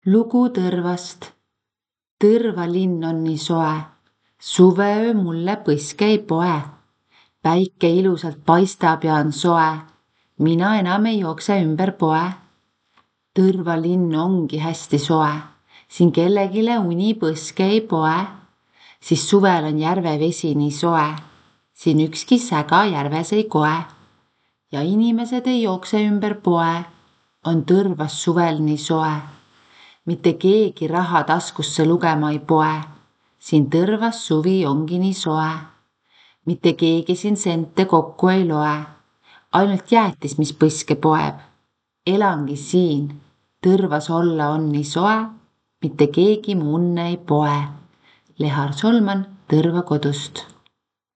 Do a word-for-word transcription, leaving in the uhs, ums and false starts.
Lugu Tõrvast. Tõrva linn on nii soe, suveöö mulle põske ei poe. Päike ilusalt paistab ja on soe, mina enam ei jookse ümber poe. Tõrva linn ongi hästi soe, siin kellegile uni põske ei poe, siis suvel on järve vesi nii soe, siin ükski säga järves ei koe. Ja inimesed ei jookse ümber poe, on Tõrvas suvel nii soe. Mitte keegi raha taskusse lugema ei poe, siin Tõrvas suvi ongi nii soe. Mitte keegi siin sente kokku ei loe, ainult jäätis, mis põske poeb. Elangi siin, Tõrvas olla on nii soe, mitte keegi mu unne ei poe. Lehar Solman Tõrva kodust.